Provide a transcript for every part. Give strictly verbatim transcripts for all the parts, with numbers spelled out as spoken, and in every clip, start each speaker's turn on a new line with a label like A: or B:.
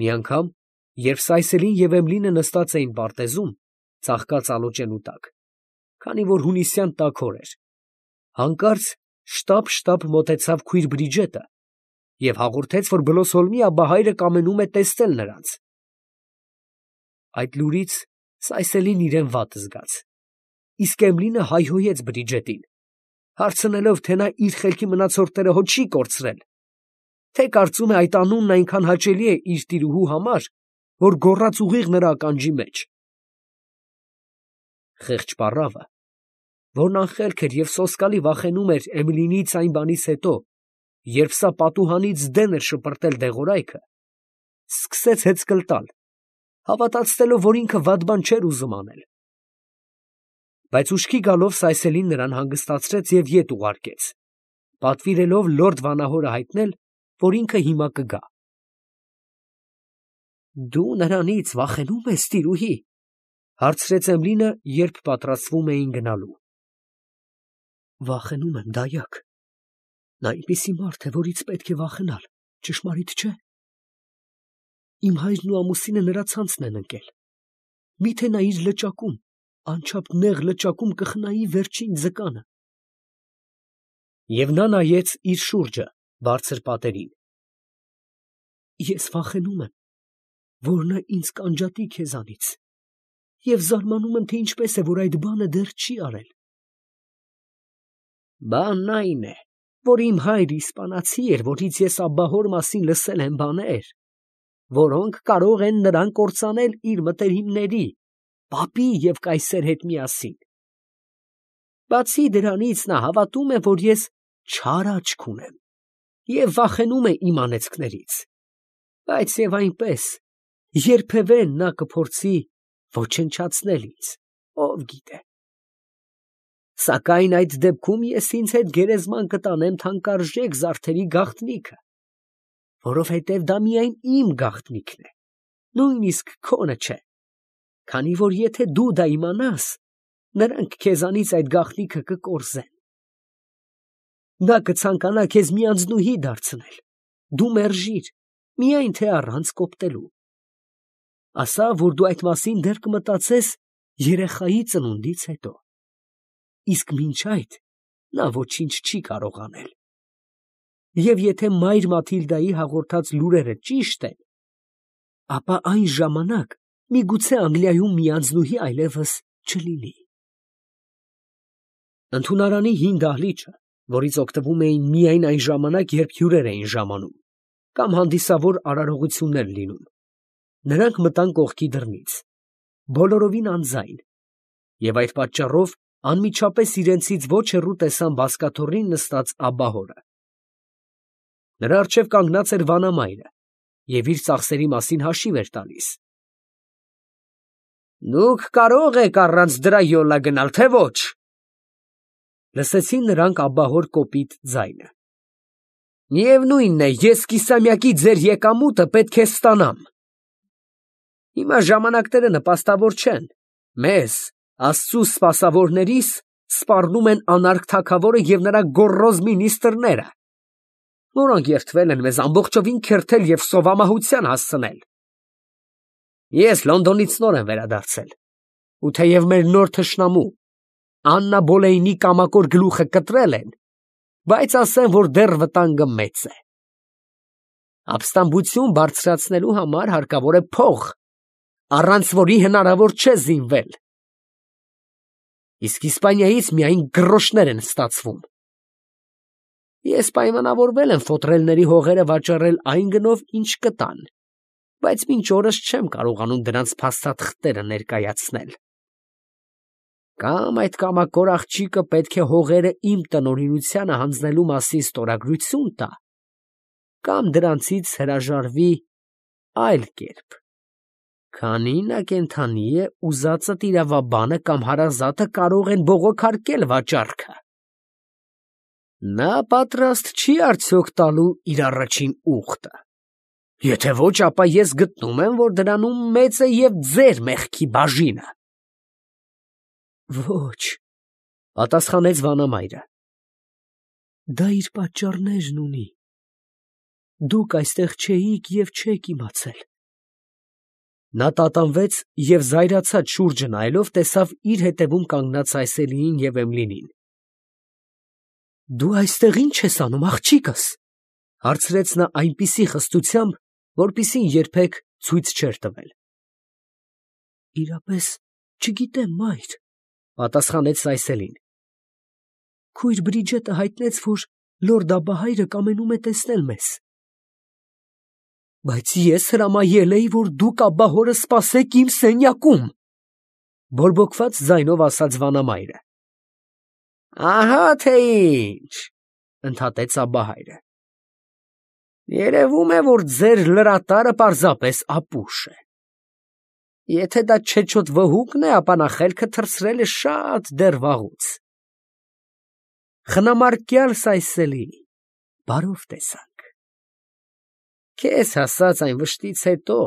A: Մի անգամ, երբ Սայսելին և Էմլինը նստած էին պարտեզում, ծաղկած ալոճենու տակ, քանի որ հունիսյան տաք օր էր, հանկարծ շտապ֊շտապ մոտեցավ քույր Բրիջետը և հաղորդեց, որ Բլոսհոլմի աբահայրը կամենում է տեսնել նրանց։ Այդ լուրից Սայսելին իրան վատ զգաց, իսկ Էմլինը հայհոյեց Բրիջետին, հարցնելով, թե նա իր խելքի մնացորդները հո չի կորցրել, թե կարծում է այդ անունն այնքան հաճելի է իր տիրուհու համար, որ գոռաց ուղիղ նրա ականջի մեջ։ Խեղճ պառավը, որն անխելք էր և սոսկալի վախենում էր Էմլինից այն բանից հետո, երբ սա պատուհանից դեն էր շպրտել դեղորայքը, սկսեց հեծկլ տալ, հավատացնելով, որ ինքը վատ բան չէր ուզում անել։ Բայց ուշքի գալով Սայսելին նրան հանգստացրեց և ետ ուղարկեց, պատվիրելով լորդ վանահորը հայտնել, որ ինքը հիմա կգա։ ֊ Դու նրանից վախենու՞մ ես, տիրուհի, ֊ հարցրեց Էմլինը, երբ պատրաստվում էին գնալու։ ֊ Վախենում եմ, դայակ. նա այնպիսի մարդ է, որից պետք է վախենալ, ճշմարիտ չէ՞։ Իմ հայրն ու ամուսինը նրա ցանցն են ընկել. մի՞թե նա իր լճակում, անչափ նեղ լճակում կխնայի վերջին ձկանը։ Եվ նա նայեց իր շուրջը բարձր պատերին։ Ես վախենում եմ, որ նա ինձ կանջատի քեզանից, և զարմանում եմ, թե ինչպես է, որ այդ բանը դեռ չի արել։ Բանն այն է, որ իմ հայրը իսպանացի էր, որից ես աբահոր մասին լսել եմ բաներ, որոնք կարող են նրան կործանել իր մտերիմների, պապի և կայսեր հետ միասին։ Բացի դրանից, նա հավատում է, որ ես չար աչք ունեմ և վախենում է իմ անեծքներից, բայց և այնպես, երբևէ նա կփորձի ոչնչացնել ինձ, ով գիտե։ Սակայն այդ դեպքում ես ինձ հետ գերեզման կտանեմ թանկարժեք զարդերի գաղտնիքը, որովհետև դա միայն իմ գաղտնիքն է, նույնիսկ քոնը չէ, քանի որ եթե դու դա իմանաս, նրանք քեզանից այդ գաղտնիքը կկորզեն։ Նա կցանկանա քեզ մի անձնուհի դարձնել, դու մերժիր, միայն թե առանց կոպտելու։ Ասա, որ դու այդ մասին դեռ կմտածես երեխայի ծնունդից հետո, իսկ մինչ այդ նա ոչինչ չի կարող անել։ Եվ եթե մայր Մաթիլդայի հաղորդած լուրերը ճիշտ են, ապա այն ժամանակ միգուցե Անգլիայում մի անձնուհի այլևս չլինի։ Ընդունարանի հին դահլիճը, որից օգտվում էին միայն այն ժամանակ, երբ հյուրեր էին ժամանում, կամ հանդիսավոր արարողություններ լինում, նրանք մտան կողքի դռնից, բոլորովին անձայն, և այդ պատճառով անմիջապես իրենցից ոչ հեռու տեսան բազկաթոռին նստած աբահորը։ Նրա առջև կանգնած էր վանամայրը և իր ծախսերի մասին հաշիվ էր տալիս։ ֊ Դուք կարող եք առանց դրա յոլա գնալ, թե ոչ, ֊ լսեցին նրանք աբահոր կոպիտ ձայնը։ ֊ Միևնույն է, ես կիսամյակի ձեր եկամուտը պետք է ստանամ։ Հիմա ժամանակները նպաստավոր չեն, մեզ, Աստծու սպասավորներիս, սպառնում են անարգ թագավորը և նրա գոռոզ մինիստրները, որոնք երդվել են մեզ ամբողջովին քերթել և սովամահության հասցնել։ Ես Լոնդոնից նոր եմ վերադարձել, ու թեև մեր նոր թշնամու Աննա Բոլեյնի կամակոր գլուխը կտրել են, բայց ասեմ, որ դեռ վտանգը մեծ է։ Ապստամբություն բարձրացնելու համար հարկավոր է փող, առանց որի հնարավոր չէ զինվել։ Իսկ Իսպանիայից միայն գրոշներ են ստացվում։ Ես պայմանավորվել եմ ֆոտրելների հողերը վաճառել այն գնով, ինչ կտան, բայց մինչ օրս չեմ կարողանում դրանց փաստաթղթերը ներկայացնել։ Կամ այդ կամակոր աղջիկը պետք է հողերը իմ տնօրինությանը հանձնելու մասին ստորագրություն տա, կամ դրանցից հրաժարվի այլ կերպ, քանի նա կենդանի է, ուզածդ իրավաբանը կամ հարազատը կարող են բողոքարկել վաճառքը։ Նա պատրաստ չի արդյոք տալու իր առաջին ուխտը։ Եթե ոչ, ապա ես գտնում եմ, որ դրանում մեծ է և ձեր մեղքի բաժինը։ Ոչ, ֊ պատասխանեց վանամայրը, դա իր պատճառներն ունի։ Դուք այստեղ չէիք և չեք իմացել, Նա տատանվեց և զայրացած շուրջը նայելով տեսավ իր հետևում կանգնած Այսելիին և Էմիլին։ «Դու այստեղ ի՞նչ ես անում, աղջիկս», ֊ հարցրեց նա այնպիսի խստությամբ, որպիսին երբեք ցույց չէր տվել։ ֊ Իրապես չգիտեմ, մայր, ֊ պատասխանեց Այսելին։ Քույր Բրիջետը հայտնեց, որ լորդ Աբահայրը կամենում է տեսնել մեզ։ Բայց ես հրամայել էի, որ դուք աբահորը սպասեք իմ սենյակում, ֊ բորբոքված ձայնով ասաց վանամայրը։ Ահա թե ինչ, ֊ ընդհատեց աբահայրը։ Երևում է, որ ձեր լրատարը պարզապես ապուշ է։ Եթե դա չեչոտ վհուկն է, ապա նա խելքը թռցրել է շատ դեռ վաղուց։ Խնամարկյալ Սայսելի, բարով տեսանք։ Քեզ հասած այն վշտից հետո,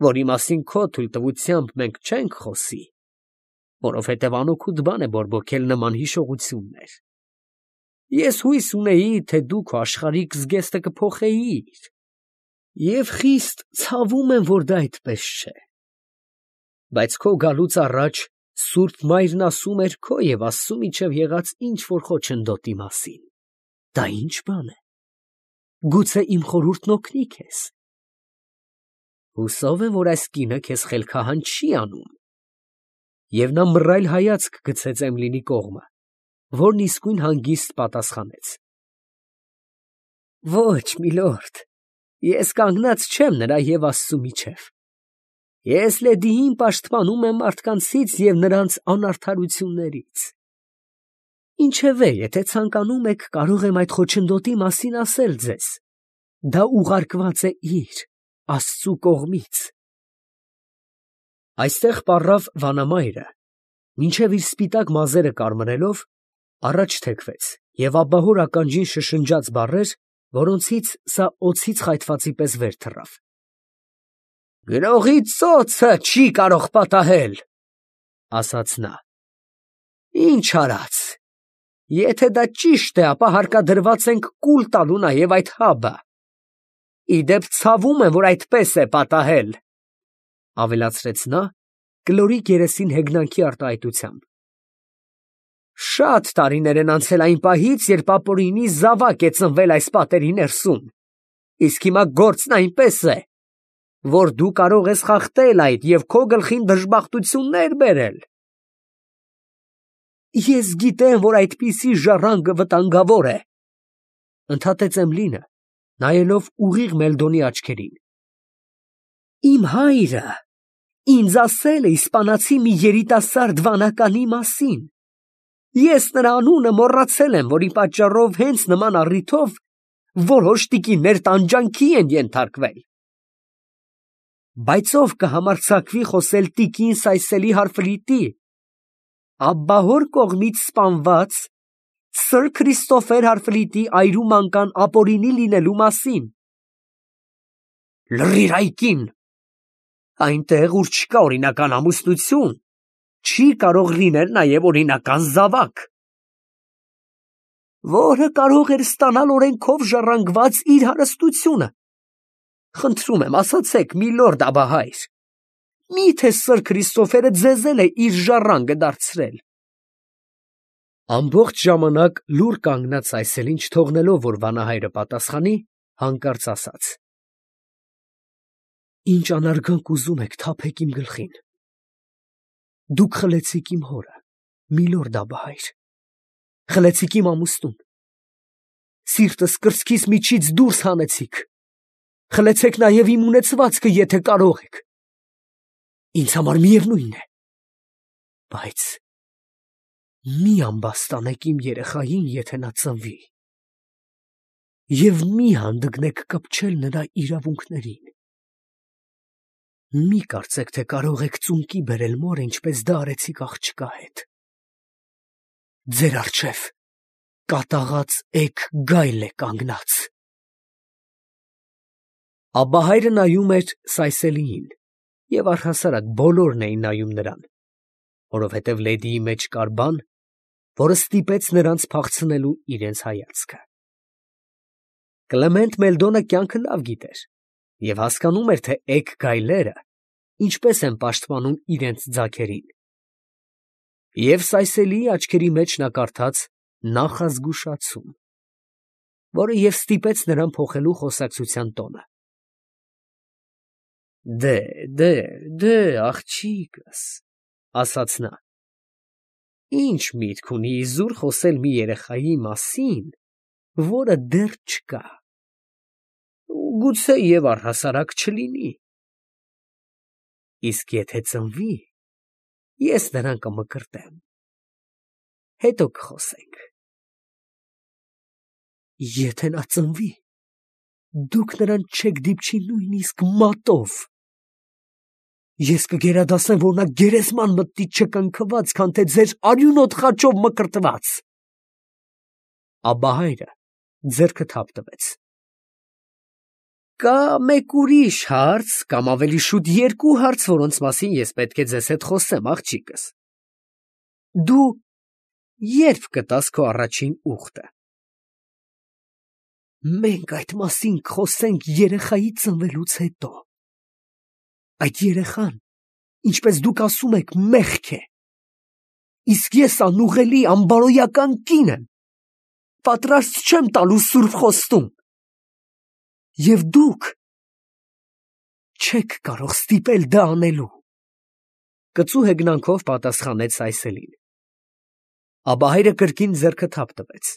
A: որի մասին քո թույլտվությամբ մենք չենք խոսի, որովհետև անօգուտ բան է բորբոքել նման հիշողություններ։ Ես հույս ունեի, թե դու քո աշխարհիկ զգեստը կփոխեիր, և խիստ ցավում եմ, որ դա այդպես չէ։ Բայց քո գալուց առաջ Սուրբ Մայրն ասում էր քո և Աստծու միջև եղած ինչ֊որ խոչընդոտի մասին։ Դա ի՞նչ բան է։ Գուցե իմ խորհուրդն օգնի քեզ։ Հուսով եմ, որ այս կինը քեզ խելքահան չի անում։ Եվ նա մռայլ հայացք գցեց Էմիլիի կողմը, որն իսկույն հանգիստ պատասխանեց. Ոչ, միլորդ, ես կանգնած չեմ նրա և Աստծու միջև։ Ես լեդիին պաշտպանում եմ մարդկանցից և նրանց անարդարություններից։ Ինչևէ, եթե ցանկանում եք, կարող եմ այդ խոչընդոտի մասին ասել ձեզ. դա ուղարկված է իր, Աստծու կողմից։ Այստեղ պառավ վանամայրը, մինչև իր սպիտակ մազերը կարմրելով, առաջ թեքվեց և աբահոր ականջին շշնջաց բառեր, որոնցից սա օձից խայթվածի պես վեր թռավ։ Գրողի ծոցը չի կարող պատահել, ֊ ասաց նա։ Ինչ արած, եթե դա ճիշտ է, ապա հարկադրված ենք կուլ տալու նաև այդ հաբը։ Ի դեպ, ցավում եմ, որ այդպես է պատահել, ֊ ավելացրեց նա, կլորիկ երեսին հեգնանքի արտահայտությամբ։ Շատ տարիներ են անցել այն պահից, երբ ապօրինի զավակ է ծնվել այս պատերի ներսում, իսկ հիմա գործն այնպես է, որ դու կարող ես խախտել այդ և քո գլխին դժբախտություններ բերել։ Ես գիտեմ, որ այդպիսի ժառանգը վտանգավոր է, ֊ ընդհատեց Էմիլին, նայելով ուղիղ Մելդոնի աչքերին։ Իմ հայրը ինձ ասել է իսպանացի մի երիտասարդ վանականի մասին։ Ես նրա անունը մոռացել եմ, որի պատճառով հենց նման առիթով որոշ տիկիններ տանջանքի են ենթարկվել։ Բայց ով կհամարձակվի խոսել տիկին Սայսելի Հարֆլիտի, աբահոր կողմից սպանված սըր Քրիստոֆեր Հարֆլիտի այրու մանկան ապօրինի լինելու մասին։ Լռիր, այ կին, այնտեղ, ուր չկա օրինական ամուսնություն, չի կարող լինել նաև օրինական զավակ, որը կարող էր ստանալ օրենքով ժառանգված իր հարստությունը։ Խնդրում եմ, ասացեք, միլորդ աբահայր, մի՞թե սըր Քրիստոֆերը ձեզ է իր ժառանգը դարձրել։ Ամբողջ ժամանակ լուռ կանգնած Այսելին, չթողնելով, որ վանահայրը պատասխանի, հանկարծ ասաց. Ինչ անարգանք ուզում եք, թափեք իմ գլխին։ Դուք խլեցիք իմ հորը, միլորդ աբահայր, խլեցիք իմ ամուսնուն, սիրտս կրծքիս միջից դուրս հանեցիք, խլեցեք նաև իմ ունեցվածքը, եթե կարող եք։ Ինձ համար միևնույն է, բայց մի ամբաստանեք իմ երեխային, եթե նա ծնվի, և մի հանդգնեք կպչել նրա իրավունքներին։ Մի կարծեք, թե կարող եք ծունկի բերել մորը, ինչպես դա արեցիք աղջկա հետ։ Ձեր առջև կատաղած էգ գայլ է կանգնած։ Աբահայրը նայում էր Սայսելիին, և առհասարակ բոլորն էին նայում նրան, որովհետև լեդիի մեջ կար բան, որը ստիպեց նրանց փախցնելու իրենց հայացքը։ Կլեմենտ Մելդոնը կյանքը լավ գիտեր և հասկանում էր, թե էգ գայլերը ինչպես են պաշտպանում իրենց ձագերին։ Եվ Սայսելիի աչքերի մեջ նա կարդաց նախազգուշացում, որը և ստիպեց նրան փոխելու խոսակցության տոնը։ Դե, դե, դե, աղջիկս, ասաց նա, ինչ միտք ունի իզուր խոսել մի երեխայի մասին, որը դեռ չկա, գուցե և առհասարակ չլինի, իսկ եթե ծնվի, ես նրան կմկրտեմ, հետո կխոսենք։ Եթե նա ծնվի, դուք նրան չեք դիպչի նույնիսկ մատով, ես կգերադասեմ, որ նա գերեզման մտնի չկնքված, քան թե ձեր արյունոտ խաչով մկրտված։ Աբահայրը ձեռքը թափ տվեց։ Կա մեկ ուրիշ հարց, կամ ավելի շուտ երկու հարց, որոնց մասին ես պետք է ձեզ հետ խոսեմ, աղջիկս։ Դու ե՞րբ կտաս քո առաջին ուղտը։ Մենք այդ մասին կխոսենք երեխայի ծնվելուց հետո։ Այդ երեխան, ինչպես դուք ասում եք, մեղք է, իսկ ես անուղելի, անբարոյական կին եմ, պատրաստ չեմ տալու սուրբ խոստում, և դուք չեք կարող ստիպել դա անելու, կծու հեգնանքով պատասխանեց Սայսելին։ Աբահայրը կրկին ձեռքը թափ տվեց,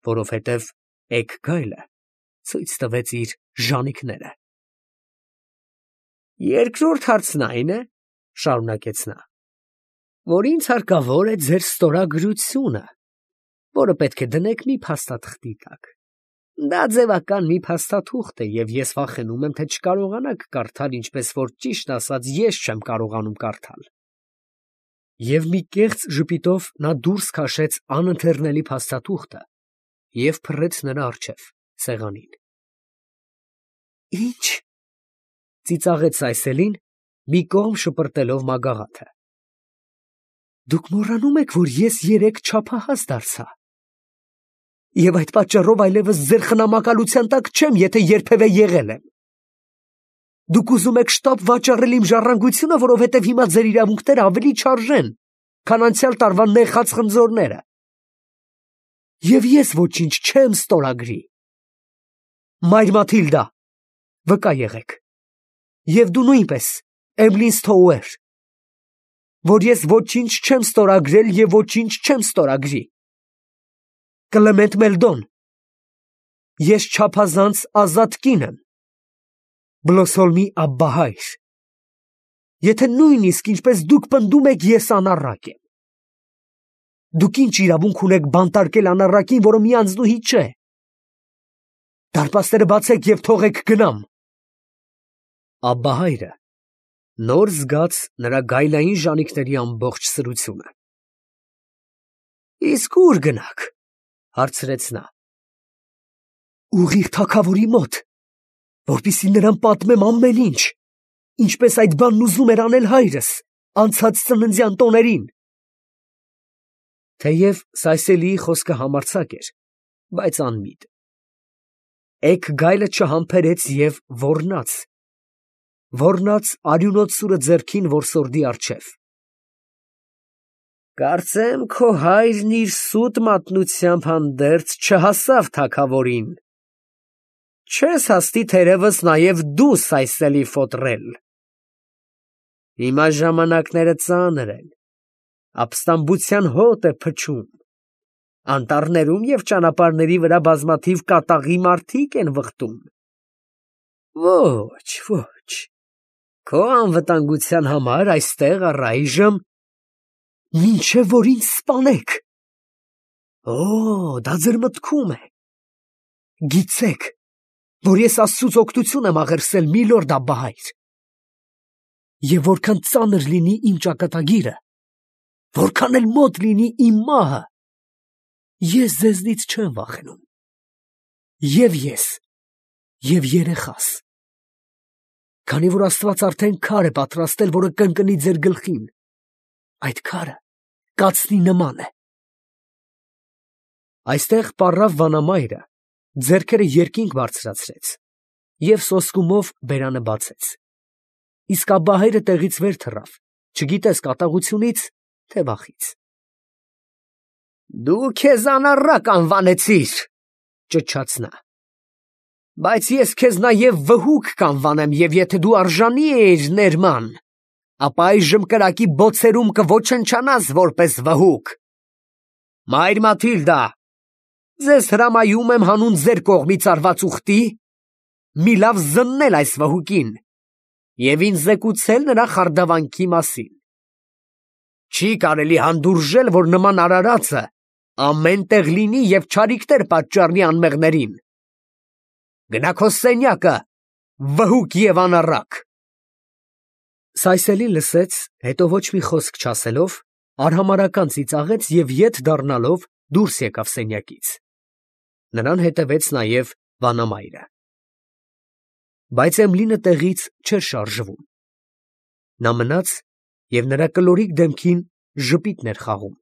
A: որովհետև էգ գայլը ցույց տվեց իր ժանիքները։ Երկրորդ հարցն այն է, շարունակեց նա, որ ինձ հարկավոր է ձեր ստորագրությունը, որը պետք է դնեք մի փաստաթղթի տակ։ Դա ձևական մի փաստաթուղթ է, և ես վախենում եմ, թե չկարողանաք կարդալ, ինչպես որ ճիշտ ասած ես չեմ կարողանում կարդալ։ Եվ մի կեղծ ժպիտով նա դուրս քաշեց անընթեռնելի փաստաթուղթը և փռեց նրա առջև սեղանին։ Ի՞նչ, ծիծաղեց Սայսելին, մի կողմ շպրտելով մագաղաթը։ Դուք մոռանում եք, որ ես երեկ չափահաս դարձա, և այդ պատճառով այլևս ձեր խնամակալության տակ չեմ, եթե երբևէ եղել եմ։ Դուք ուզում եք շտապ վաճառել իմ ժառանգությունը, որովհետև հիմա ձեր իրավունքները ավելի չարժեն, քան անցյալ տարվա նեխած խնձորները։ Եվ ես ոչինչ չեմ ստորագրի։ Մայր Մաթիլդա, վկա եղեք, և դու նույնպես, Էմլին Սթոուեր, որ ես ոչինչ չեմ ստորագրել և ոչինչ չեմ ստորագրի։ Կլեմենտ Մելդոն, ես չափազանց ազատ կին եմ, Բլոսոլմի աբբահայր, եթե նույնիսկ ինչպես դուք պնդում եք, ես անառակ եմ։ Դուք ինչ իրավունք ունեք բանտարկել անառակին, որը մի անձնուհի չէ։ Դարպասները բացեք և թողեք գնամ։ Աբբահայրը նոր զգաց նրա գայլային ժանիքների ամբողջ սրությունը։ Իսկ ո՞ւր գնաք, հարցրեց նա։ Ուղիղ թագավորի մոտ, որպեսզի նրան պատմեմ ամեն ինչ, ինչպես այդ բանն ուզում էր անել հայրս անցած ծննդյան տոներին։ Թեև Սայսելիի խոսքը համարձակ էր, բայց անմիտ։ Էգ գայլը չհամբերեց և ոռնաց, ոռնաց արյունոտ սուրը ձեռքին որսորդի առջև։ Կարծեմ, քո հայրն իր սուտ մատնությամբ հանդերձ չհասավ թագավորին։ Չես հասնի թերևս նաև դու Սայսելի ֆոտրել։ Հիմա ժամանակները ծանր են, ապստամբության հոտ է փչում, անտառներում և ճանապարհների վրա բազմաթիվ կատաղի մարդիկ են վխտում։ Ոչ, ոչ, քո անվտանգության համար այստեղ առայժմ մինչև որ ինձ սպանեք։ Օ, դա ձեր մտքում է։ Գիտեք, որ ես Աստծուց օգնություն եմ աղերսել, միլորդ աբբահայր։ Եվ որքան ծանր լինի իմ ճակատագիրը, որքան էլ մոտ լինի իմ մահը, ես ձեզնից չեմ վախենում։ Եվ ես, և երեխաս, քանի որ Աստված արդեն քար է պատրաստել, որը կընկնի ձեր գլխին, այդ քարը կացնի նման է։ Այստեղ պառավ վանամայրը ձեռքերը երկինք բարձրացրեց և սոսկումով բերանը բացեց։ իսկ աբահերը տեղից վեր թռավ, չգիտես կատաղությունից, թե վախից։ Դու քեզ անառակ անվանեցիր, ճչաց նա, բայց ես քեզ նաև վհուկ կանվանեմ, և եթե դու արժանի էիր ներման, ապա այժմ կրակի բոցերում կոչնչանաս որպես վհուկ։ Մայր Մաթիլդա, ձեզ հրամայում եմ հանուն ձեր կողմից արված ուխտի, մի լավ զննել այս վհուկին և ինձ զեկուցել նրա խարդավանքի մասին։ Չի կարելի հանդուրժել, որ նման արարածը ամեն տեղ լինի և չարիքներ պատճառի անմեղներին։ Գնա քո սենյակը, վհուկ և անառակ։ Սայսելին լսեց, հետո ոչ մի խոսք չասելով, արհամարհական ծիծաղեց և ետ դառնալով դուրս եկավ սենյակից։ Նրան հետևեց նաև վանամայրը։ Բայց Էմլինը տեղից չէր շարժվում։ Նա մնաց և նրա կլորիկ դեմքին ժպիտն էր խաղում։